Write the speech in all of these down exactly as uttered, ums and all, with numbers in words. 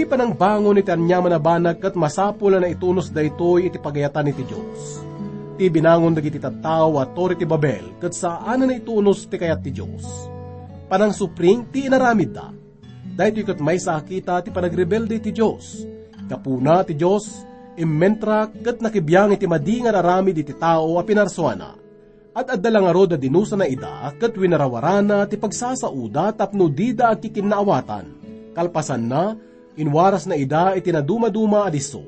Panangbangon iti aniaman a banag ket masapul a naitunus daytoy iti pagayatan iti Dios. Ti binangon dagiti tattao a Torre ti Babel ket saan a naitunus ti kayat ti Dios. Panangsupring ti inaramidda. Daytoy ket maysa a kita ti panagrebelde iti Dios. Gapuna ti Dios, immentrak ket nakibiang iti madi nga inaramid iti tao a pinarsuana. Ad-adda la ngarud a dinusana ida ket winarawarana ti pagsasaoda tapno dida agkikinnaawatan. Kalpasanna, inwarasna ida iti nadumaduma a disso.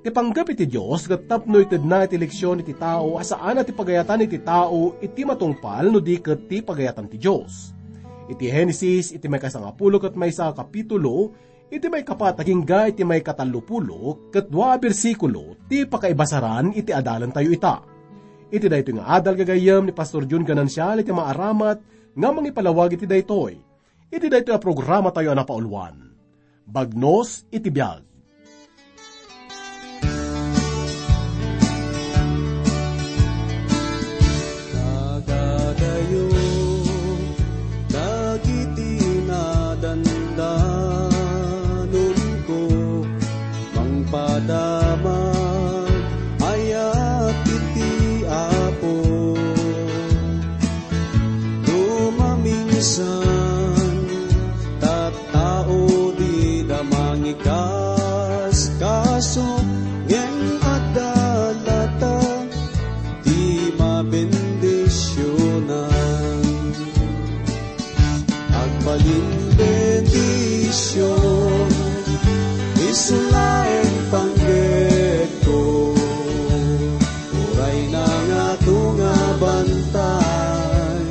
Ti panggep iti Dios ket tapno itedna iti leksion iti tao a saan a ti pagayatan iti tao iti matungpal no di ket ti pagayatan ti Dios. Iti Genesis, iti maikasangapulo ket maysa a kapitulo, iti maikapat agingga iti maikatallopulo ket dua a bersikulo ti pakaibasaran iti adalantayo ita. Iti daytoy nga adal gagayyem ni Pastor Jun Ganancial iti maaramat nga mangipalawag iti daytoy. Iti daytoy a programatayo a napauluan, Bagnos iti Biag. Kadadayo dagiti nadandanumko, mangpadama ayat iti Apo. No maminsan, tattao dida mangikaskaso, ngem adda latta ti mabendisionan. Agbalin bendision, isu laeng panggepko. Uray nangato nga bantay,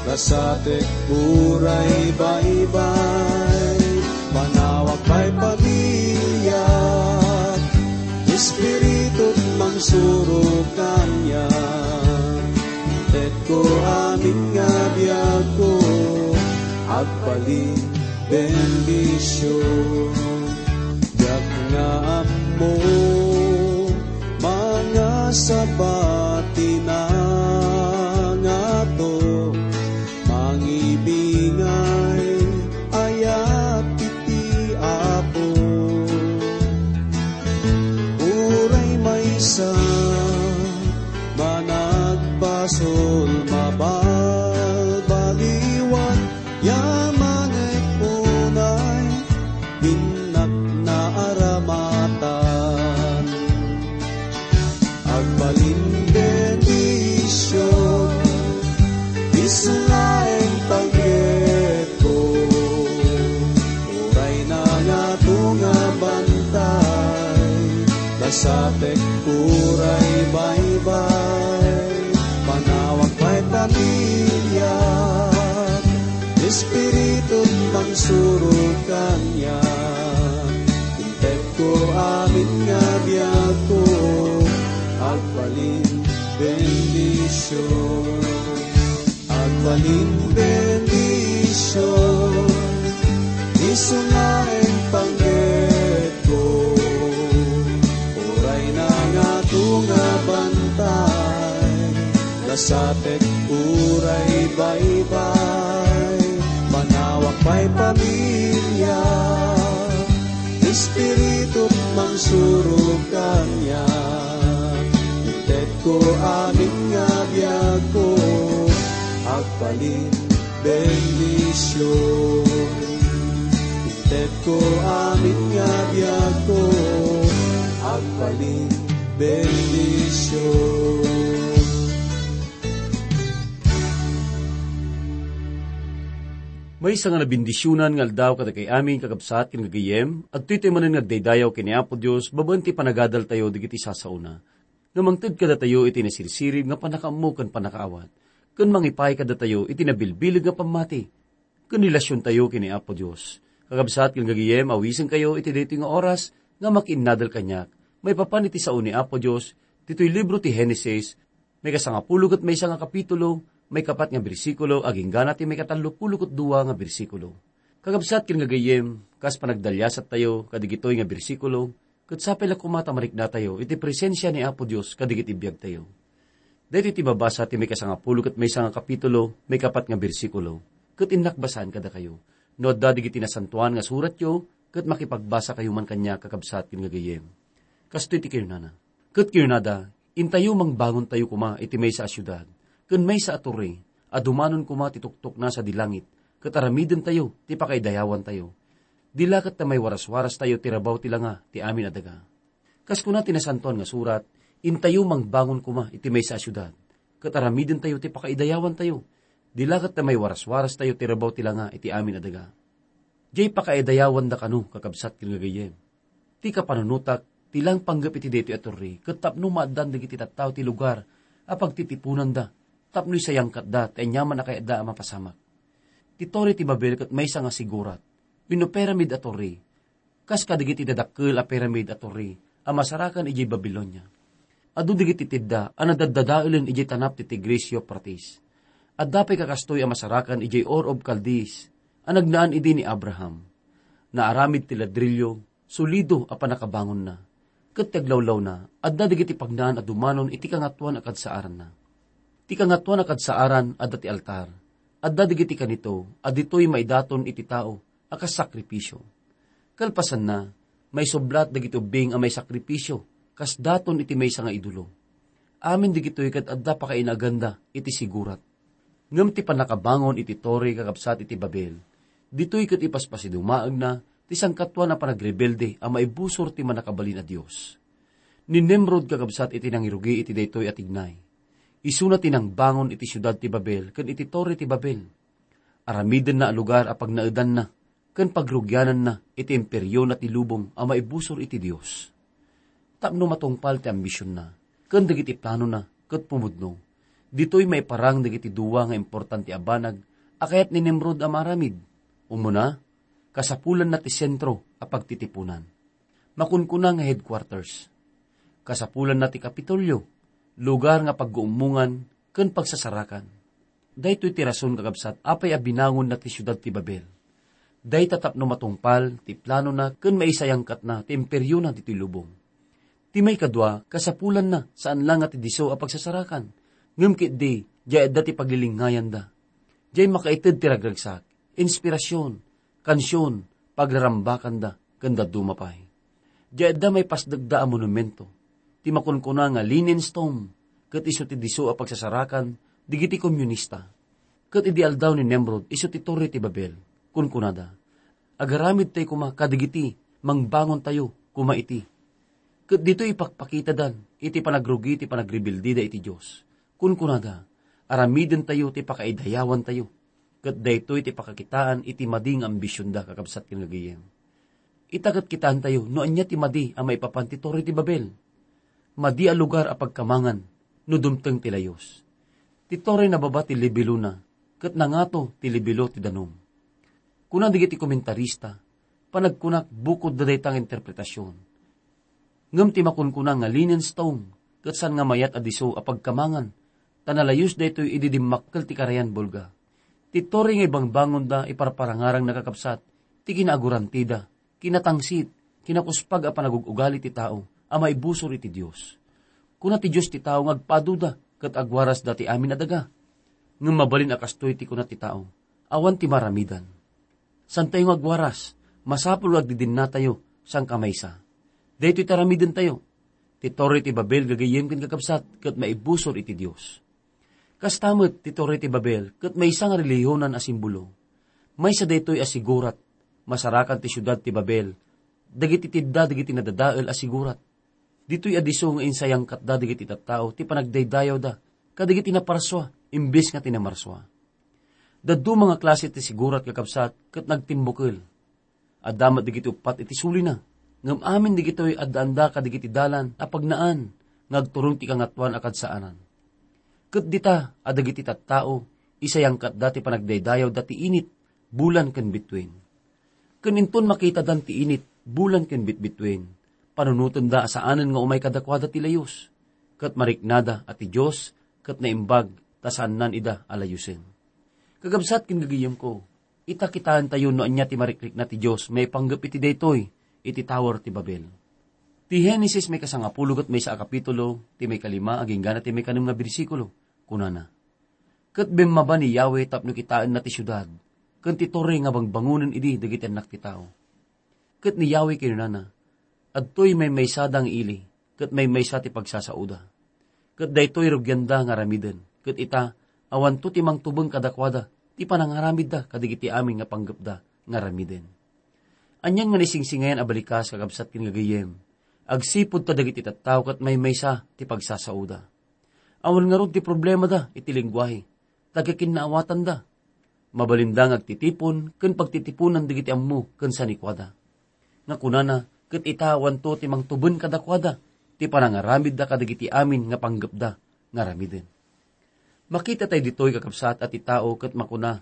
kasatek uray baybay, panawag pay pamiliak, Espiritu mangsurok kaniak. Intetko amin nga biagko, agbalin bendision. Diak nga ammo, mangasaba ti nangato, mangibingay ayat iti Apo. Uray maysa managbasol, mabalbaliwan, yaman unay innak naaramatan. Agbalin bendision, isu laeng panggepko. Uray nangato nga bantay, kasatek uray baybay, panawag pay pamiliak, Espiritu mangsurok kaniak. Intetko amin nga biagko, agbalin bendision. Agbalin bendision, isu laeng panggepko. Uray nangato nga bantay, kasatek uray baybay, panawag pay pamiliak, Espiritu mangsurok kaniak. Intetko amin nga biagko, agbalin bendision. Intetko amin nga biagko, agbalin bendision. Maysa nga nabendisionan nga aldaw kadagiti amin, kakabsat ken gagayyem, adtoy tayo manen nga agdaydayaw ken ni Apo Dios babaen ti panagadaltayo dagiti sasaona. Nga mangted kadatayo iti nasirsirib nga pannakaammo ken pannakaawat, ken mangipaay kadatayo iti nabilbileg nga pammati ken relasiontayo ken ni Apo Dios. Kakabsat ken gagayyem, awisenkayo iti daytoy nga oras nga makiinnadal kaniak maipapan iti sao ni Apo Dios, ditoy libro ti Genesis, maikasangapulo ket maysa nga kapitulo, maikapat nga bersikulo, aginggana ti maikatallopulo ket dua nga bersikulo. Kakabsat ken gagayyem, kas panagdaliasattayo kadigitoy nga bersikulo, ket sapay la koma ta mariknatayo iti presensia ni Apo Dios kadigiti biagtayo. Daytoy ti mabasa ti maikasangapulo ket maysa nga kapitulo, maikapat nga bersikulo, ket innak basaan kadakayo. No adda dagiti nasantoan nga suratyo, ket makipagbasakayo man kaniak, kakabsat ken gagayyem. Kastoy ti kinunana. Ket kinunada, "Intayo mangbangontayo koma iti maysa a siudad, ken maysa a torre, a dumanon koma ti tuktokna sadi langit, ket aramidentayo ti pakaidayawantayo. Di la ket ta maiwaraswarastayo ti rabaw ti langa ti amin a daga." Kas kuna ti Nasantoan nga Surat, "Intayo mangbangon koma iti maysa a siudad, ket aramidentayo ti pakaidayawantayo. Di la ket ta maiwaraswarastayo ti rabaw ti langa iti amin a daga." Diay pakaidayawanda kano, kakabsat ken gagayyem. Ti kapanunotak, ti laeng panggep iti daytoy a torre, ket tapno maaddan dagiti tattao ti lugar a pagtitiponanda, tapno isayangkatda ti aniaman a kayatda a mapasamak. Ti Torre ti Babel ket maysa nga sigurat wenno pyramid a torre, kas kadagiti dadakkel a pyramid a torre a masarakan idiay Babilonia. Adu dagiti tedda a nadaddadaelen idiay tanap ti Tigris Euphrates. Adda pay kakastoy a masarakan idiay Ur of Chaldees a nagnaan idi ni Abraham. Naaramid ti ladrillo, solido a pannakabangonna. Ket ti aglawlawna, adda dagiti pagnaan a dumanon iti Kangatoan a Kadsaaranna. Ti Kangatoan a Kadsaaran adda ti altar. Adda dagiti kanito a ditoy maidaton iti tao a kas sakripisio. Kalpasanna, maisublat dagiti ubbing a maisakripisio kas daton iti maysa nga idolo. Amin dagitoy ket adda pakainaganda iti sigurat. Ngem ti pannakabangon iti torre, kakabsat, iti Babel, ditoy ket ipaspasidumaagna ti sangkatuan a panagrebelde a maibusor ti Mannakabalin a Dios. Ni Nimrod, kakabsat, iti nangirugi iti daytoy a tignay. Isuna ti nangbangon iti siudad ti Babel ken iti Torre ti Babel. Aramidenna a lugar a pagnaedanna ken pagrugiananna iti imperiona ti lubong a maibusor iti Dios. Tapno matungpal ti ambisionna ken dagiti planona ket pumudno, ditoy maiparang dagiti dua nga importante a banag a kayat ni Nimrod a maaramid. Umuna, kasapulanna ti sentro a pagtitipunan. Makunkuna nga headquarters. Kasapulanna ti Kapitolyo, lugar nga pagguummongan ken pagsasarakan. Daytoy ti rason, kakabsat, apay a binangonna ti siudad ti Babel. Dayta tapno matungpal ti planona ken maisayangkatna ti imperiona ditoy lubong. Ti maikadua, kasapulanna, saan la nga ti disso a pagsasarakan, ngem ketdi, diay adda ti paglilingngayanda. Diay makaited ti ragragsak, inspirasyon, kansion, pagrarambakanda, ken dadduma pay. Diay adda maipasdekda a monumento. Ti makunkuna nga linen stone, ket isu ti disso a pagsasarakan dagiti komunista. Ket idi aldaw ni Nimrod, isu ti Torre ti Babel, kunkunada, "Agaramidtayo koma kadagiti mangbangontayo koma iti." Ket ditoy ipakpakitadan iti panagrugi ti panagrebildeda iti Dios. Kunkunada, "Aramidentayo ti pakaidayawantayo." Ket daytoy ti pakakitaan iti madi nga ambisionda, kakabsat ken gagayyem. Ita ket kitaentayo no ania ti madi a maipapan ti Torre ti Babel. Madi a lugar a pagkamangan no dumteng ti layus. Ti torre nababa ti lebilona, ket nangato ti lebilo ti danum. Kuna dagiti komentarista, panagkunak bukodda dayta nga interpretasion. Ngem ti makunkuna nga linen stone, ket saan nga mayat a disso a pagkamangan, ta nalayus daytoy idi dimmakkel ti Karayan Volga. Ti torre nga ibangbangonda iparparangarang, kakabsat, ti kinaagurantida, kinatangsit, kinakuspag a panagug-ugali ti tao a maibusor iti Dios. Kuna ti Dios ti tao nga agpaduda ket agwarasda ti amin a daga. Ngem mabalin a kastoy ti kuna ti tao, awan ti maramidan. Santayo nga agwaras, masapul nga agdidinnatayo sangkamaysa. Daytoy ti aramidentayo. Ti Torre ti Babel, gagayyem ken kakabsat, ket maibusor iti Dios. Kasta met ti Torre ti Babel ket maysa nga relihiyonan a simbolo. Maysa daytoy a sigurat, masarakan ti siudad ti Babel dagiti tedda dagiti nadadael a sigurat. Ditoy a disso nga insayangkatda dagiti tattao ti panagdaydayawda kadagiti naparsua imbes nga ti namarsua. Dadduma nga klase ti sigurat, kakabsat, ket nagtimbukel. Adda met dagiti uppat iti sulina, ngem amin dagitoy addaanda kadagiti dalan a pagnaan nga agturong ti Kangatoan a Kadsaanan. Ket dita a dagiti tattao, isayangkatda ti panagdaydayawda ti init, bulan ken bituen. Ken inton makitadan ti init, bulan ken bitbituen, panunotenda a saanen nga umay kadakuada ti layus, ket mariknada a ti Dios ket naimbag ta saannan ida a layusen. Kakabsat ken gagayyemko, ita kitaentayo no ania ti marikrikna ti Dios maipanggep iti daytoy, iti Tower ti Babel. Ti Genesis maikasangapulo ket maysa a kapitulo, ti maikalima agingga ti maikanem nga bersikulo, kunana, "Ket bimmaba ni Yahweh tapno kitaenna ti siudad, ken ti torre nga bangbangonen idi dagiti annak ti tao." Ket ni Yahweh kinunana, "Adtoy maymaysada nga ili, ket maymaysa ti pagsasaoda. Ket daytoy rugianda nga aramiden, ket ita, awanto ti mangtubeng kadakuada ti panangaramidda kadagiti amin nga panggepda nga aramiden." Anian nga naisingsingayan a balikas, kakabsat ken gagayyem, agsipud ta dagiti tattao ket maymaysa ti pagsasaoda. Awan ngarud ti problemada iti lengguahe, ta agkikinnaawatanda. Mabalinda nga agtitipon ken pagtitiponan dagiti ammo ken sanikuada. Nga kunana, ket ita, awanto ti mangtuben kadakuada ti panangaramidda kadagiti amin nga panggepda nga aramiden. Makita tayo ditoy, kakabsat, a ti tao ket makuna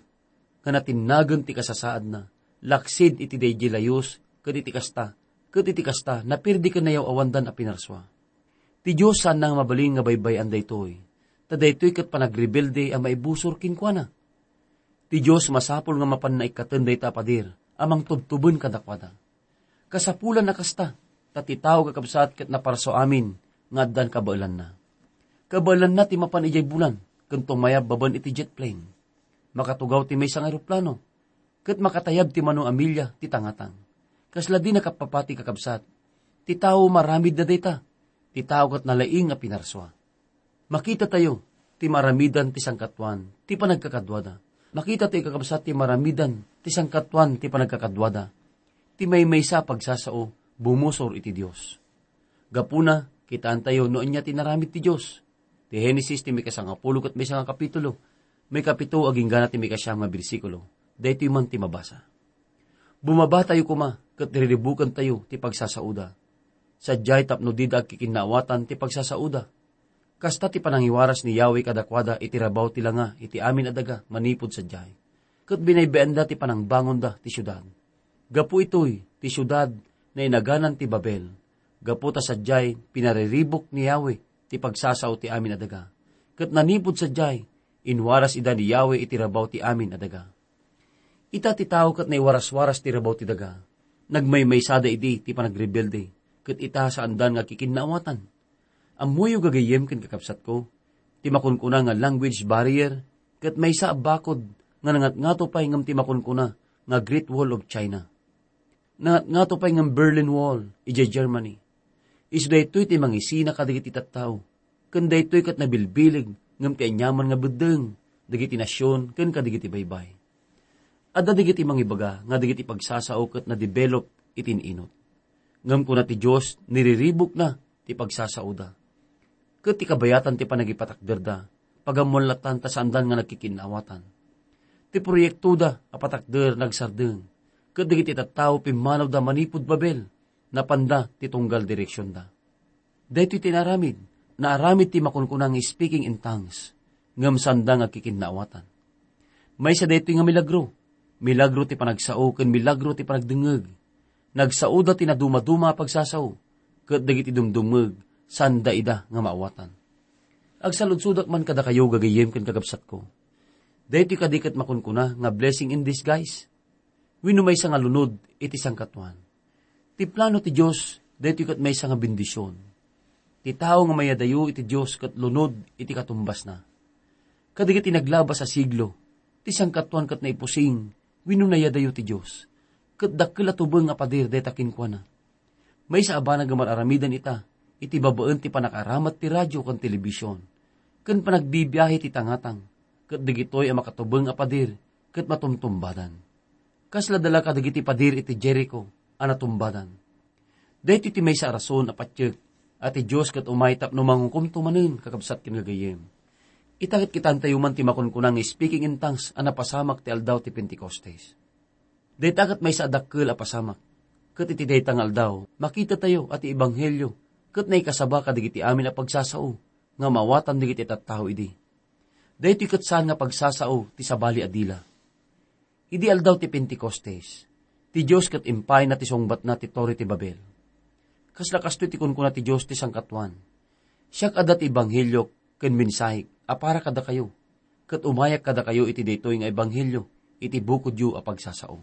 nga natinnagen ti kasasaadna, laksid iti daydiay layus, ket iti kasta, ket iti kasta, napirdi ken nayaw-awandan a pinarsua. Ti Dios saanna nga mabalin nga baybay-an daytoy, ta daytoy ket panagrebelde a maibusor kenkuana. Ti Dios masapul nga mapanna ikkaten dayta a pader a mangtubtuben kadakuada. Kasapulan a kasta, ta ti tao, kakabsat, ket naparsua amin nga addan kabaelanna. Kabaelanna ti mapan idiay bulan ken tumayab babaen iti jet plane. Makatugaw ti maysa nga eroplano, ket makatayab ti mano a milya ti tangatang. Kasla di nakapapati, kakabsat, ti tao maramid na dayta, ti tao ket nalaing a pinarsua. Makita tayo ti maramidan ti sangkatuan ti panagkakaduada. Makita tayo, kakabsat, ti maramidan ti sangkatuan ti panagkakaduada. Ti maymaysa a pagsasao bumusor iti Dios. Gapuna, kitaan tayo no ania ti naramid ti Dios. Ti Genesis ti mikasangapulo ket maysa nga kapitulo, maikapito agingga na ti maikasiam nga bersikulo. Daytoy man ti mabasa. Bumaba tayo koma ket riribukentayo ti pagsasaoda. Sadiay tapno dida agkikinnaawatan ti pagsasaoda. Kasta ti panangiwaras ni Yahweh kadakuada iti rabaw ti langa iti amin a daga manipud sadiay, ket binaybayanna ti panangbangonda ti siudad. Gapu itoy, ti siudad nainaganan ti Babel. Gapu ta sadiay, pinariribuk ni Yahweh ti pagsasao ti amin a daga, ket nanipud sadiay, inwaras ida ni Yahweh iti rabaw ti amin a daga. Ita ti tao ket naiwaras-waras ti rabaw ti daga. Nagmaymaysada idi ti panagrebelde, ket ita, saandan nga agkikinnaawatan. Ammoyo, gagayyem ken kakabsatko, ti makunkuna nga language barrier ket maysa a bakod nga nangatngato pay ngem ti makunkuna nga Great Wall of China. Nangatngato pay ngem Berlin Wall idiay Germany. Isu daytoy ti mangisina kadagiti tattao, ken daytoy ket nabilbileg ngem ti aniaman nga beddeng dagiti nasion ken kadagiti baybay. Adda dagiti mangibaga nga dagiti pagsasao ket nadevelop iti in-inot. Ngem kuna ti Dios, niriribukna ti pagsasaoda. Ket ti kabayatan ti panagipatakderda, pagammoan lattan ta saandan nga nagkikinnaawatan. Ti proyektoda a patakder nagsardeng, ket dagiti tattao pimmanawda manipud Babel, napanda ti tunggal direksionda. Daytoy ti naaramid, naaramid ti makunkuna nga speaking in tongues, ngem saanda nga agkikinnaawatan. Maysa daytoy nga milagro, milagro ti panagsao ken milagro ti panagdengngeg. Nagsaoda ti nadumaduma a pagsasao, ket dagiti dumdumngeg, saanda ida nga maawatan. Agsaludsodak man kadakayo, gagayyem ken kakabsatko. Daytoy kadi ket makunkuna nga blessing in disguise? Wenno maysa nga lunod iti sangkatuan? Ti plano ti Dios, daytoy ket maysa nga bendision. Ti tao nga mayadayo iti Dios ket lunod iti katumbasna. Kadagiti naglabas a siglo, ti sangkatuan ket naipusing wenno nayadayo ti Dios, ket dakkel a tubeng a pader dayta kenkuana. Maysa a banag nga mar-aramidan ita iti babaen ti panakaaramat ti radio ken telebision, ken panagbibiahe ti tangatang, ket dagitoy a makatubeng a pader ket matumtumbadan. Kasla dala kadagiti pader iti Jericho a natumbadan. Daytoy ti maysa a rason a patiek a ti Dios ket umay tapno manghukomto manen, kakabsat ken gagayyem. Ita ket kitantayo man ti makunkuna nga speaking in tongues a napasamak ti aldaw ti Pentecostes. Dayta ket maysa a dakkel a pasamak. Ket iti dayta nga aldaw, makitatayo a ti ebanghelio ket naikasaba kadagiti amin a pagsasao nga maawatan dagiti tattao idi. Daytoy ket saan nga pagsasao ti sabali a dila. Idi aldaw ti Pentecostes, ti Dios ket impayna ti sungbatna ti Torre ti Babel. Kasla kastoy ti kunkuna ti Dios ti sangkatuan, "Siak adda ti ebanghelio ken mensahek a para kadakayo, ket umayak kadakayo iti daytoy nga ebanghelio iti bukodyo a pagsasao."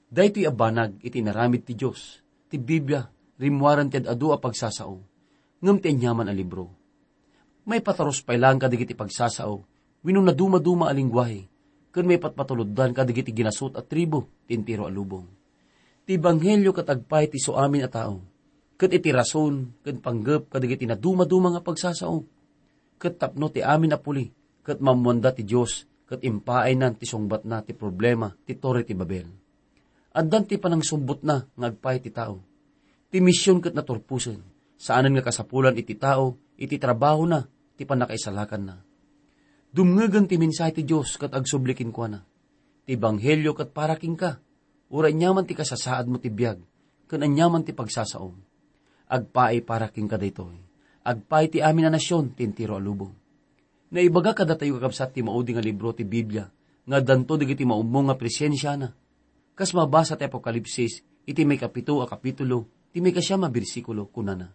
Daytoy a banag iti inaramid ti Dios. Ti Biblia, rimmuaren ti ad-adu a pagsasao, ngem ti aniaman a libro. Maipaturus pay laeng kadagiti pagsasao wenno nadumaduma a lengguahe, ken maipatpatuloddan kadagiti ginasut a tribu ti entero a lubong. Ti ebanghelio ket agpaay ti isu amin a tao, ket iti rason ken panggep kadagiti nadumaduma nga pagsasao, ket tapno ti amin a puli ket maammoanda ti Dios ket impaaynan ti sungbatna ti problema ti Torre ti Babel. Addan ti panangsubbotna nga agpaay ti tao. Ti mision ket naturposen, saanen nga kasapulan iti tao iti trabahona ti pannakaisalakanna. Dumngegen ti mensahe ti Dios ket agsubli kenkuana, "Ti ebanghelio ket para kenka, uray aniaman ti kasasaadmo ti biag, ken aniaman ti pagsasaom. Agpaay para kenka daytoy. Agpaay ti amin a nasion ti entero a lubong." Naibaga kadatayo, kakabsat, ti maudi nga libro ti Biblia nga addanto dagiti maummong nga presensiana. Kas mabasa ti Apokalipsis iti maikapito a kapitulo, ti maikasiam a bersikulo, kunana,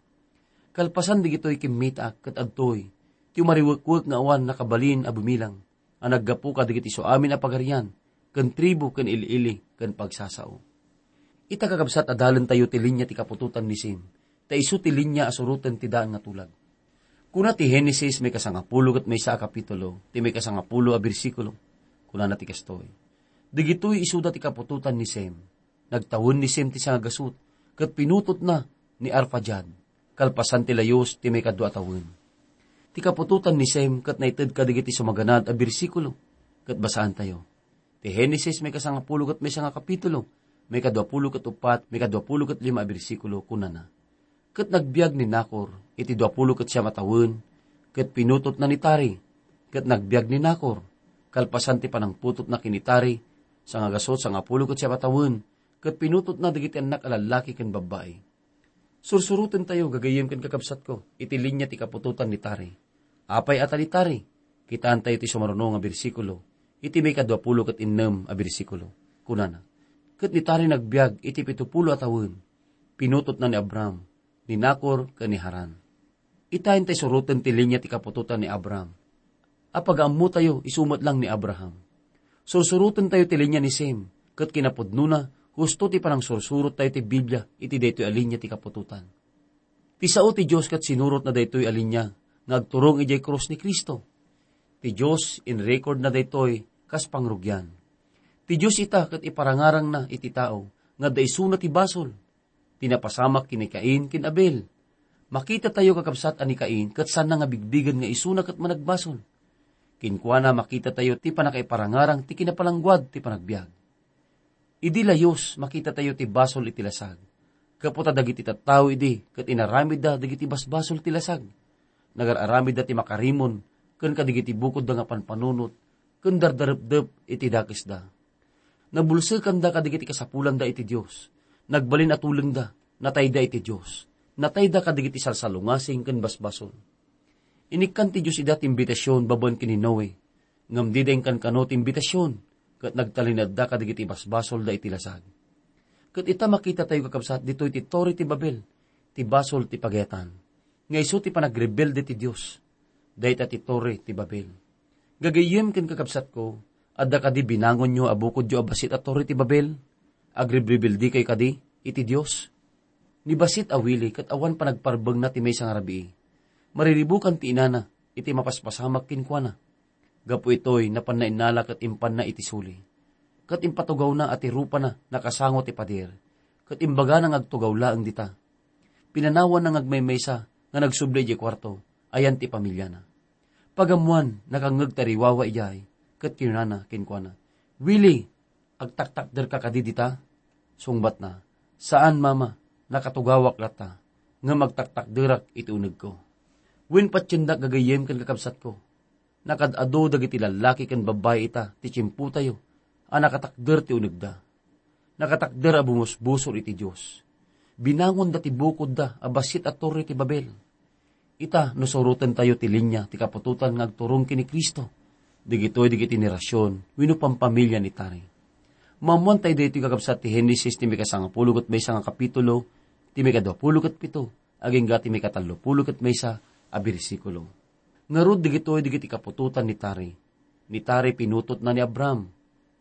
"Kalpasan dagitoy kimmitaak ket adtoy ti umariwekwek nga awan nakabalin a bumilang, a naggapu kadagiti isu amin a pagarian, ken tribu, ken il-ili, ken pagsasao." Ita, kakabsat, adalentayo ti linia ti kaputotan ni Sem, ta isu ti linia a suroten ti daan nga tulag. Kuna ti Genesis maikasangapulo ket maysa a kapitulo, ti maikasangapulo a bersikulo. Kunana ti kastoy, "Dagitoy isuda ti kaputotan ni Sem. Nagtawen ni Sem ti sangagasut, ket pinutotna ni Arfaxad, kalpasan ti layus ti maikadua a tawen." Ti kaputotan ni Sem ket naited kadagiti sumaganad a bersikulo, ket basaantayo. Ti Genesis maikasangapulo ket maysa nga kapitulo, maikaduapulo ket uppat, maikaduapulo ket lima a bersikulo, kunana, "Ket nagbiag ni Nacor iti duapulo ket siam a tawen, ket pinutotna ni Tari. Ket nagbiag ni Nacor, kalpasan ti panangputotna ken ni Tari, sangagasut sangapulo ket siam a tawen, ket pinutotna dagiti annak a lallaki ken babbai." Sursurotentayo, gagayyem ken kakabsatko, iti linia ti kaputotan ni Tari. Apay a ta ni Tari? Kitaentayo ti sumaruno nga bersikulo, iti maikaduapulo ket innem a bersikulo. Kunana, "Ket ni Tari nagbiag iti pitupulo a tawen, pinutotna ni Abram, ni Nacor, ken ni Haran." Ita, intay suroten ti linia ti kaputotan ni Abram. A pagaammotayo, isu met lang ni Abraham. Sursurotentayo ti linia ni Sem, ket kinapudnona, husto ti panangsursurottayo ti Biblia iti daytoy a linia ti kaputotan. Ti sao ti Dios ket sinurotna daytoy a linia nga agturong idiay krus ni Cristo. Ti Dios inrecordna daytoy kas pangrugian. Ti Dios ita ket iparangarangna iti tao nga adda isuna ti basol. Ti napasamak ken ni Cain ken Abel. Makitatayo, kakabsat, a ni Cain ket saanna nga bigbigen nga isuna ket managbasol. Kenkuana, makitatayo ti pannakaiparangarang ti kinapalangguad ti panagbiag. Idi layus, makitatayo ti basol iti lasag. Gapu ta dagiti tattao idi ket inaramidda dagiti basbasol ti lasag. Nagar-aramidda ti makarimon ken kadagiti bukodda nga panpanunot ken dardarepdep iti dakesda. Nabulsekanda kadagiti kasapulanda iti Dios. Nagbalin a tulengda, natayda iti Dios. Natayda kadagiti salsalungasing ken basbasol. Inikkan ti Dios ida ti imbitasion babaen ken ni Noe, ngem dida inkankano ti imbitasion, ket nagtalinaedda kadagiti basbasolda iti lasag. Ket ita, makitatayo, kakabsat, ditoy ti Torre ti Babel, ti basol ti pagayatan, nga isu ti panagrebelde ti Dios. Dayta ti Torre ti Babel. Gagayyem ken kakabsatko, adda kadi binangonyo a bukodyo a bassit a Torre ti Babel? Agrebrebeldi kayo kadi iti Dios? Ni bassit a Willie ket awan panagparbengna ti maysa nga rabii. Mariribukan ti inana iti mapaspasamak kenkuana. Gapu itoy, napanna innala ket impanna iti suli. Ket impatugawna a ti rupana nakasango ti pader, ket imbagana nga agtugaw laeng dita. Pinanawanna nga agmaymaysa nga nagsubli idiay kuarto, ayan ti pamiliana. Pagammoan, nakangngeg ti ariwawa idiay, ket kinunana kenkuana, "Willie, agtaktakderka kadi dita?" Sungbatna, "Saan, Mama, nakatugawak latta, ngem agtaktakderak iti unegko." Wen patiendak, gagayyem ken kakabsatko, nakaad-adu dagiti lallaki ken babbai ita ti tiempotayo a nakatakder ti unegda. Nakatakder a bumusbusor iti Dios. Binangonda ti bukodda a bassit a Torre ti Babel. Ita, no surotentayo ti linia ti kaputotan nga agturong ken ni Cristo, dagitoy dagiti henerasion wenno pampamilia ni Tari. Maammoantayo daytoy, kakabsat, ti Genesis ti mikasangapulo ket maysa nga kapitulo, ti mikaduapulo ket pito, agingga ti mikatallopulo ket maysa a bersikulo. Ngarud, dagitoy dagiti kaputotan ni Tari. Ni Tari pinutotna ni Abram,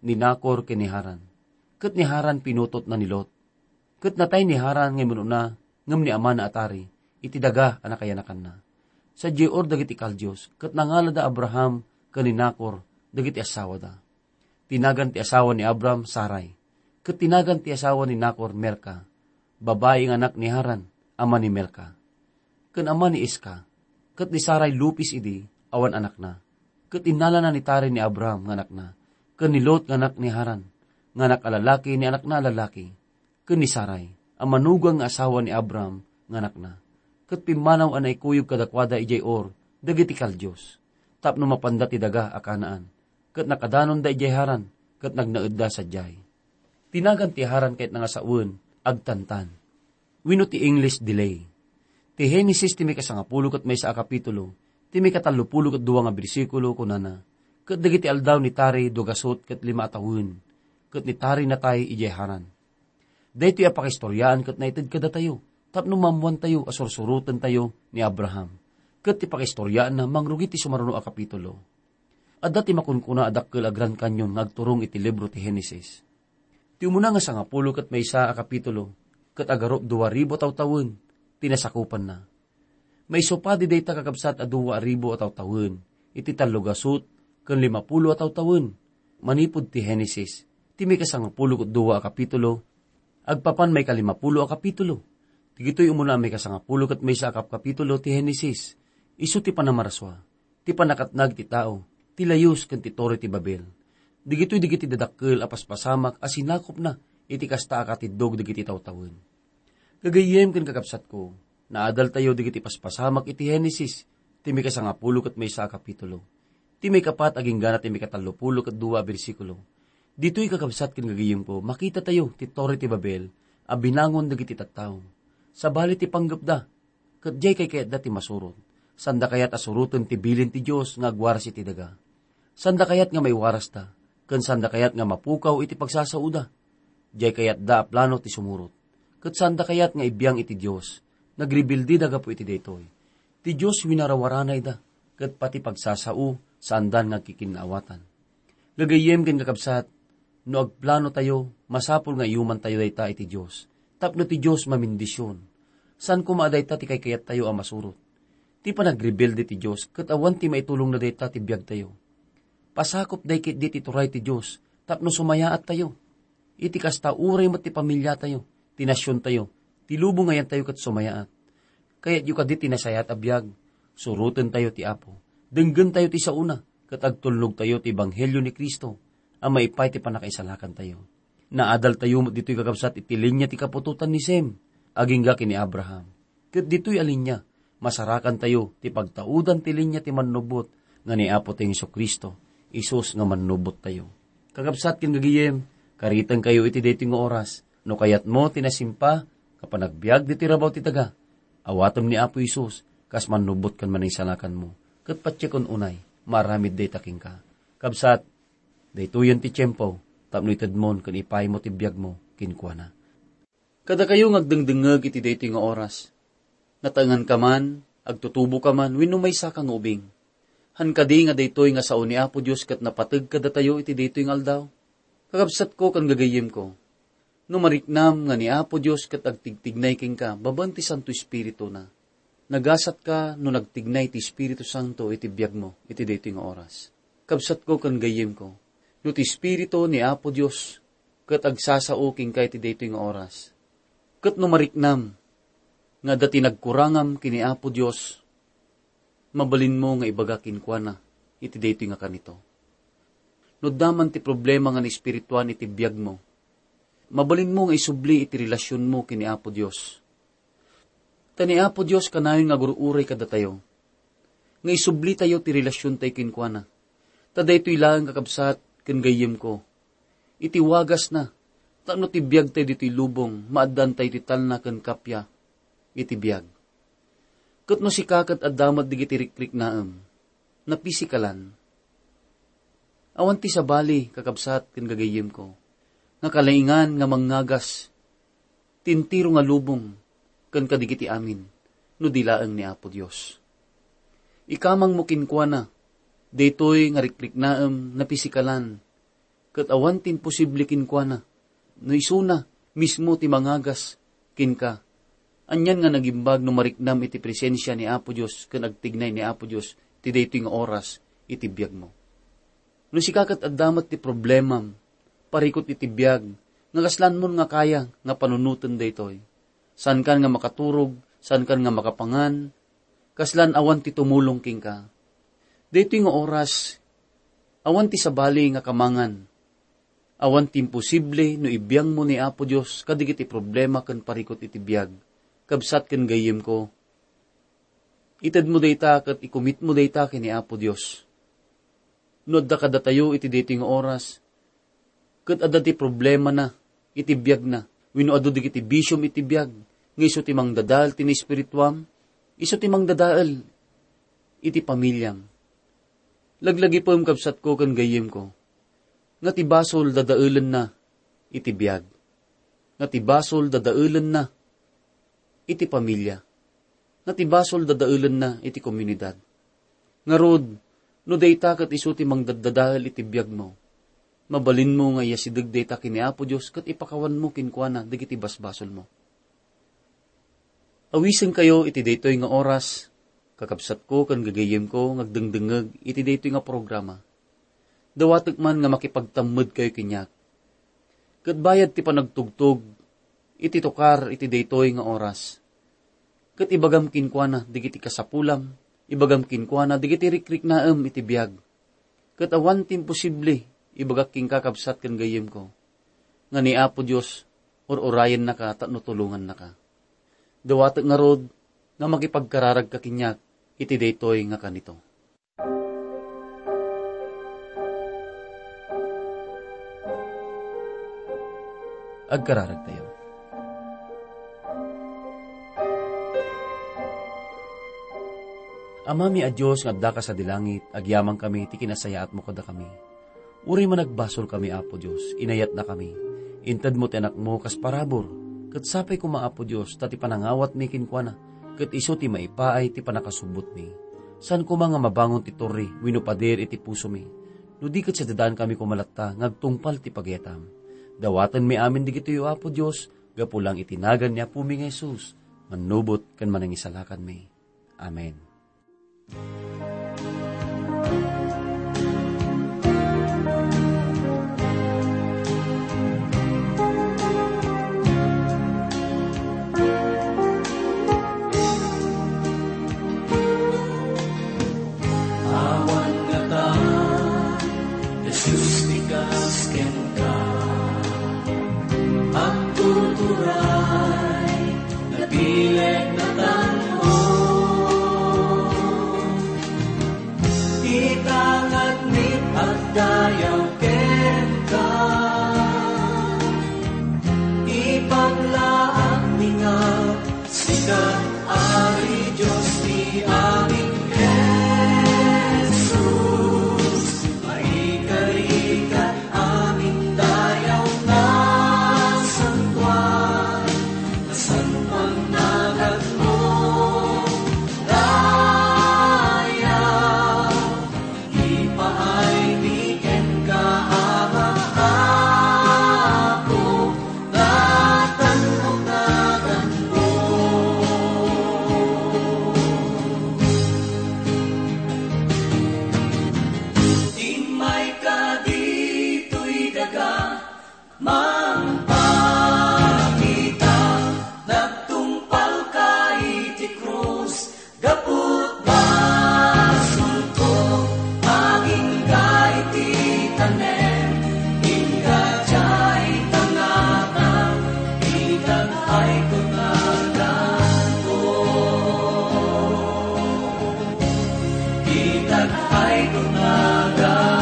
ni Nacor ken ni Haran. Ket ni Haran pinutotna ni Lot. Ket natay ni Haran nga immun-una ngem ni amana a Tari iti daga a nakayanakanna. Sadiay Ur dagiti Kaldios, ket nangalada Abraham ken ni Nacor dagiti assawada. Ti nagan ti asawa ni Abram, Sarai. Ket ti nagan ti asawa ni Nacor Milca, babai nga anak ni Haran, ama ni Milca, ken ama ni Isca, ket ni Sarai lupis idi awan anakna. Ket innalana ni Tari ni Abram nga anakna, ken ni Lot nga anak ni Haran, nga anak a lalaki ni anakna a lalaki, ken ni Sarai, a manugang nga asawa ni Abram nga anakna. Ket pimmanaw a naikuyog kadakuada idiay Ur dagiti Kaldios, tapno mapanda ti daga a Canaan, ket nakadanonda idiay Haran, ket nagnaedda sadiay. Ti nagan ti Haran ket nga sawen, agtantan. Wenno ti English delay. Ti Henesis ti maikasangapulo ket maysa a kapitulo, ti maikatallopulo ket dua nga bersikulo, kunana, ket dagiti aldaw ni Tari dua gasut ket lima a tawen, ket ni Tari natay idiay Haran. Daytoy a pakaistoriaan ket naited kadatayo, tapno maammoantayo a sursurotentayo ni Abraham. Ket ti pakaistoriaanna mangrugi ti sumaruno a kapitulo. Adda ti makunkuna a dakkel a Grand Canyon nga agturong iti libro ti Henesis. Ti umuna nga sangapulo ket maysa a kapitulo, ket agarup dua ribu a tawtawen ti nasakupanna. Maisupadi dayta, kakabsat, a dua ribu a tawtawen iti tallo gasut ken limapulo a tawtawen manipud ti Henesis, ti maikasangapulo ket dua a kapitulo, agpapan maikalimapulo a kapitulo. Dagitoy umuna a maikasangapulo ket maysa a kapkapitulo ti Henesis, isu ti panamarasua, ti pannakatnag ti tao, ti layus ken ti Torre ti Babel. Dagitoy dagiti dadakkel a paspasamak a sinakopna iti kasta a katiddog dagiti tawtawen. Gagayyem ken kakabsatko, naadaltayo dagiti paspasamak iti Henesis, ti maikasangapulo ket maysa a kapitulo, ti maikapat agingga ti maikatallopulo ket dua a bersikulo. Ditoy, kakabsat ken gagayyemko, makitatayo ti Torre ti Babel a binangon dagiti tattao. Sabali ti panggepda, ket diay kayatda ti masurot. Sanda kayat a suroten ti bilin ti Dios nga agwaras iti daga. Sanda kayat nga maiwarasda, ken sanda kayat nga mapukaw iti pagsasaoda. Diay kayatda a plano ti sumurot. Ket sanda kayat nga ibiang iti Dios. Nagrebelde da gapu iti daytoy. Ti Dios winarawarana ida, ket pati pagsasao, saandan nga agkikinnaawatan. Gagayyem ken kakabsat, no agplano tayo, masapul nga iyuman tayo dayta iti Dios, tapno ti Dios mamindision. Saan koma a dayta ti kaykayat tayo a masurot. Ti panagrebelde ti Dios, ket awan ti maitulongna dayta ti biag tayo. Pasakop day ketdi ti turay ti Dios, tapno sumayaat tayo. Iti kasta, uray met ti pamilya tayo, ti nasion tayo, ti lubong nga yan tayo ket sumayaat. Kayatyo kadi ti nasayaat a biag? Suroten tayo ti Apo. Denggen tayo ti saona, ket agtulnog tayo ti ebanghelio ni Cristo a maipay ti pannakaisalakan tayo. Naadal tayo met ditoy, kakabsat, iti linia ti kaputotan ni Sem, agingga ken ni Abraham. Ket ditoy a linia, masarakan tayo ti pagtaudan ti linia ti Mannubbot nga ni Apo ti Jesu-Cristo, isus nga Mannubbot tayo. Kakabsat ken gagayem, karitengkayo iti daytoy nga oras. No kayatmo ti nasimpa nga panagbiag ditoy rabaw ti daga, awatem ni Apo Jesus kas Mannubbot ken Mangisalakanmo, ket patiek unay, maaramid dayta kenka. Kabsat, daytoyen ti tiempo tapno itedmon ken ipaymo ti biagmo kenkuana. Kadakayo nga agdengdengngeg iti daytoy nga oras, nataenganka man, agtutuboka man, wenno maysaka nga ubing. Han kadi nga daytoy nga sao ni Apo Dios ket napateg kadatayo iti daytoy nga aldaw? Kakabsatko ken gagayemko, no mariknam nga ni Apo Dios ket agtigtignay kenka babaen ti Santo Espirituna, nagasatka no nagtignay ti Espiritu Santo iti biagmo iti daytoy nga oras. Kabsatko ken gagayemko, no ti Espiritu ni Apo Dios ket agsasao kenka iti daytoy nga oras, ket no mariknam nga adda ti nagkurangam ken ni Apo Dios, mabalinmo nga ibaga kenkuana iti daytoy nga kanito. No adda man ti problema nga naespirituan iti biagmo, mabalinmo nga isubli iti relasionmo ken ni Apo Dios. Ta ni Apo Dios kanayon nga agur-uray kadatayo, nga isublitayo ti relasiontayo kenkuana. Ta daytoy laeng, kakabsat ken gayyemko, iti wagasna, tapno ti biagtayo ditoy lubong, maaddantayo ti talna ken kappia iti biag. Ket no sika ket adda met dagiti rikriknaem, napisikalan, awan ti sabali, kakabsat ken gagayyemko, nga kalaingan nga mangngagas ti entero nga lubong ken kadagiti amin no di laeng ni Apo Dios. Ikamangmo kenkuana daytoy nga rikriknaem, napisikalan, ket awan ti imposible kenkuana no isuna mismo ti mangagas kenka. Anian nga nagimbag no mariknam iti presensia ni Apo Dios ken agtignay ni Apo Dios ti daytoy nga oras iti biagmo. No sika ket adda met ti problemam, parikut iti biag, nga kaslanmon nga kaya nga panunoten daytoy. Saankan nga makaturog, saankan nga makapangan, kaslan awan ti tumulong kenka. Daytoy nga oras, awan ti sabali nga kamangan. Awan ti imposible no ibiangmo ni Apo Dios kadagiti problema ken parikut iti biag, kabsat ken gayyemko. Itedmo dayta ket ikumitmo dayta ken ni Apo Dios. No adda kadatayo iti daytoy nga oras, ket adda ti problemana iti biagna, wenno adu dagiti bisiom iti biag, nga isu ti mangdadael ti naespirituam, isu ti mangdadael iti pamiliam. Laglagipem, kabsatko ken gayyemko, nga ti basol dadaelenna iti biag, nga ti basol dadaelenna iti pamilia, nga ti basol dadaelenna iti komunidad. Ngarud, no dayta ket isu ti mangdaddadael iti biagmo, mabalinmo nga iyasideg dayta ken ni Apo Dios ket ipakawanmo kenkuana dagiti basbasolmo. Awisenkayo iti daytoy nga oras, kakabsatko ken gagayyemko nga agdengdengngeg iti daytoy nga programa. Dawatek man nga makipagtammedkayo kaniak. Ket bayad ti panagtugtog iti tukar iti daytoy nga oras, ket ibagam kenkuana dagiti kasapulam, ibagam kenkuana dagiti rikriknaem iti biag. Ket awan ti imposible, ibagak kenka, kabsat ken gayyemko, nga ni Apo Dios ur-urayennaka tapno tulongannaka. Dawatek ngarud nga makipagkararagka kaniak iti daytoy nga kanito. Agkararagtayo. Amami a Dios nga addaka sadi langit, agyamankami ti kinasayaatmo kadakami. Uray managbasolkami, Apo Dios, inayatnakami. Intedmo ti Anakmo kas parabur, ket sapay koma, Apo Dios, ta ti panangawatmi kenkuana, ket isu ti maipaay ti pannakasubbotmi. Saan koma nga mabangon ti torre wenno pader iti pusomi, no di ket sadadaankami koma latta nga agtungpal ti pagiyatam. Dawatenmi amin dagitoy, Apo Dios, gapu lang iti nagan ni Apomi nga Jesus, mannubot ken Manangisalakanmi. Amen. Awan ngata, Jesus, ti kas kenka. Agtuturay, nabileg, natan-o. Ita ngarud agdayaw kenka. Ipaglaakmi nga sika, Ari Dios ti amin, Jesus. Maikari ka amin dayaw nga santuan, santuan naganmo. Dayaw, ipaaymi kenka, Ama, Apo, natan-ok naganmo. Immayka ditoy daga, mangpakita, nagtungpalka iti krus, gapu ta basolko, agingga iti tanem, ingga diay tangata, itag ay tunaganko. Itag ay tunaganko.